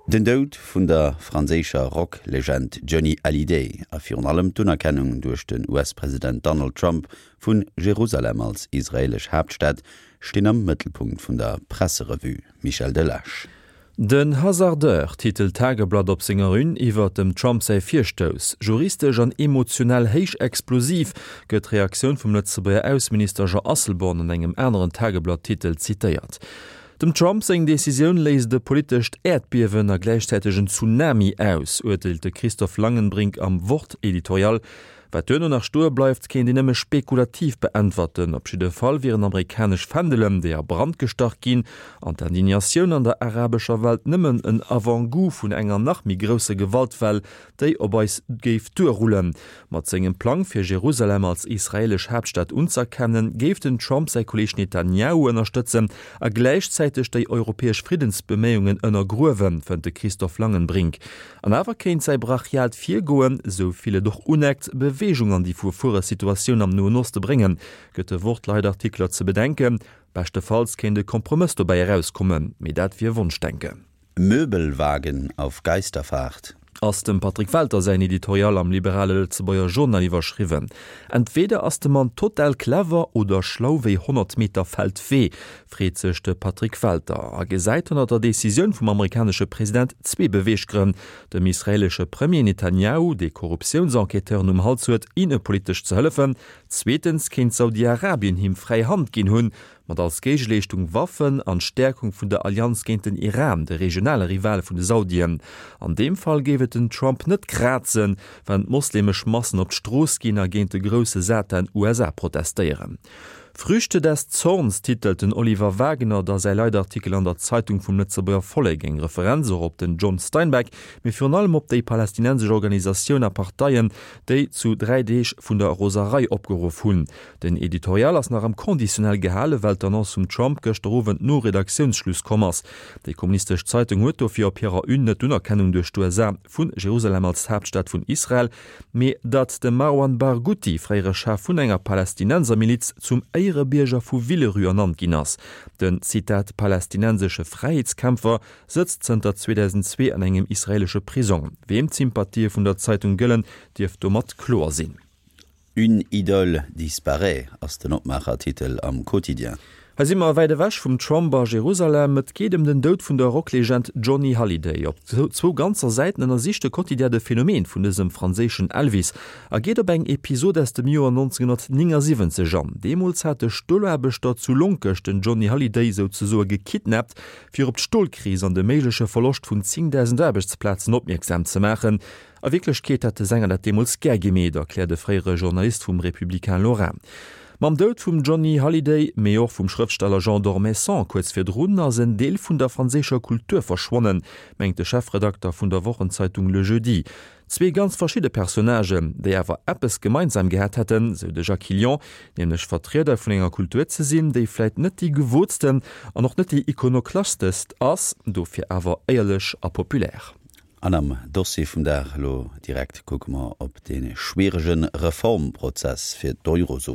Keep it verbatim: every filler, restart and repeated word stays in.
Den Doud vun der franséischer Rocklegend Johnny Hallyday a virun allem d'Unerkennung duerch den US-President Donald Trump vun Jerusalem als israelesch Haaptstad stinn am Mëttelpunkt vun der Presserevue Michel Delage. Den Hasardeur titelt d'Tageblatt op senger Une iwwer dem Trump säi Virstouss. Juristesch an emotionell héich explosiv gëtt d'Reaktioun vum Lëtzebuerger Ausseminister Jean Asselborn an engem aneren Tageblatt-Titel zitéiert. Dem Trump seng Decisioun léist e politescht Äerdbiewen a gläichzäiteg en Tsunami aus, urteelt de Christoph Langenbrink am Wort-Editorial. Wat duerno nach stoe bleift, kéint een nëmme spekulativ beäntwerten. Op jidde Fall wieren amerikanesch Fändelen, déi a Brand gestach ginn, an d'Indignatioun an der arabescher Welt nëmmen en Avant-goût vun enger nach méi grousser Gewaltwell, déi op eis géif duerrullen. Mat sengem Plang, fir Jerusalem als israelesch Haaptstad unzëerkennen, géif den Trump säi Kolleeg Netanjahu ënnerstëtzen a gläichzäiteg déi europäesch Friddensbeméiungen ënnergruewen, fënnt de Christoph Langenbrink. An awer kéint säi brachiaalt Virgoen, esou vill et och uneckt, Beweegung an déi verfuere Situatioun am Noen Oste bréngen, gëtt de Wort-Leitartikler ze bedenken. Beschtefalls kéint e Kompromëss dobäi erauskommen, mee dat wier Wonschdenken. Möbelwagen auf Geisterfahrt. Ass dem Patrick Welter säin Editorial am liberale Lëtzebuerger Journal iwwerschriwwen. Entweder ass de Mann total clever oder schlau wéi honnert Meter Feldwee, freet sech de Patrick Welter a gesäit hannert der Decisioun vum amerikanesche President zwee Beweeggrënn, dem israeelesche Premier Netanjahu, dee Korruptiounsenquêteuren um Hals huet, innepolitesch ze hëllefen, zweetens kéint Saudi-Arabien him fräi Hand ginn hunn, mat als Géigeleeschtung Waffen an d'Stäerkung vun der Allianz géint den Iran, de regionale Rival vun de Saudien. An deem Fall géif et den Trump net krazen, wann d'moslemesch Massen op d'Strooss ginn a géint de grousse Satan USA protestéieren. Früchte des Zorns titelt den Oliver Wagner da säi Leitartikel an der Zeitung vum Lëtzebuerger Vollek, eng Referenz och op den John Steinbeck, mee virun allem op déi palästinensesch Organisatioun a Parteien, déi zu dräi Deeg vun der Roserei opgeruff hunn. Den Editorial ass nach am Conditionnel gehalen, well d'Annonce vum Trump gëschter Owend no Redaktiounsschluss komm ass. Déi kommunistesch Zeitung huet dofir op hirer Une net d'Unerkennung duerch d'USA vu Jerusalem als Haaptstad vun Israel, mee datt de Marwan Barghouti, fréiere Chef vun enger Palästinensermiliz, zum Éierebierger vu Villerue ernannt ginn ass. Den, Zitat, palästinensesche Fräiheetskämpfer sëtzt zënter zweedausendzwee an engem israeelesche Prisong. Weem d'Sympathië vun der Zeitung gëllen, dierft domat kloer sinn. Une idole disparaît ass den Opmaachertitel am Quotidien. Hei si mer wäit ewech vum Trump a Jerusalem. Et geet ëm den Doud vun der Rocklegend Johnny Hallyday. Op zwou ganzer Säiten ënnersicht de Quotidien de Phänomen vun dësem franséischen Elvis a geet op eng Episod aus dem Joer neunzehnhundertneunundsiebzig an. Deemools hate Stolaarbechter zu Lonkech den Johnny Hallyday souzesoe gekidnappt, fir op d'Stolkris an de méigleche Verloscht vun zéngdausend Aarbechtsplazen opmierksam ze maachen. A Wierklechkeet hätt de Sänger dat deemools gär gemeet, erkläert e fréiere Journalist vum Républicain Lorrain. Mam Doud vum Johnny Hallyday, mee och vum Schrëftsteller Jean d'Ormesson kuerz virdrun, ass en Deel vun der franséischer Kultur verschwonnen, mengt de Chefredakter vun der Wochenzeitung Le Jeudi. Zwee ganz verschidde Personnagen, déi awer eppes gemeinsam gehat hätten, sou de Jacques Hilion, nämlech Vertrieder vun enger Kultur ze sinn, déi vläit net déi gewootsten an och net déi ikonoklastest ass, dofir awer éierlech a populär. An am Dossier vum Dag elo direkt kucke mer op dee schwierege Reformprozess fir d'Eurozon.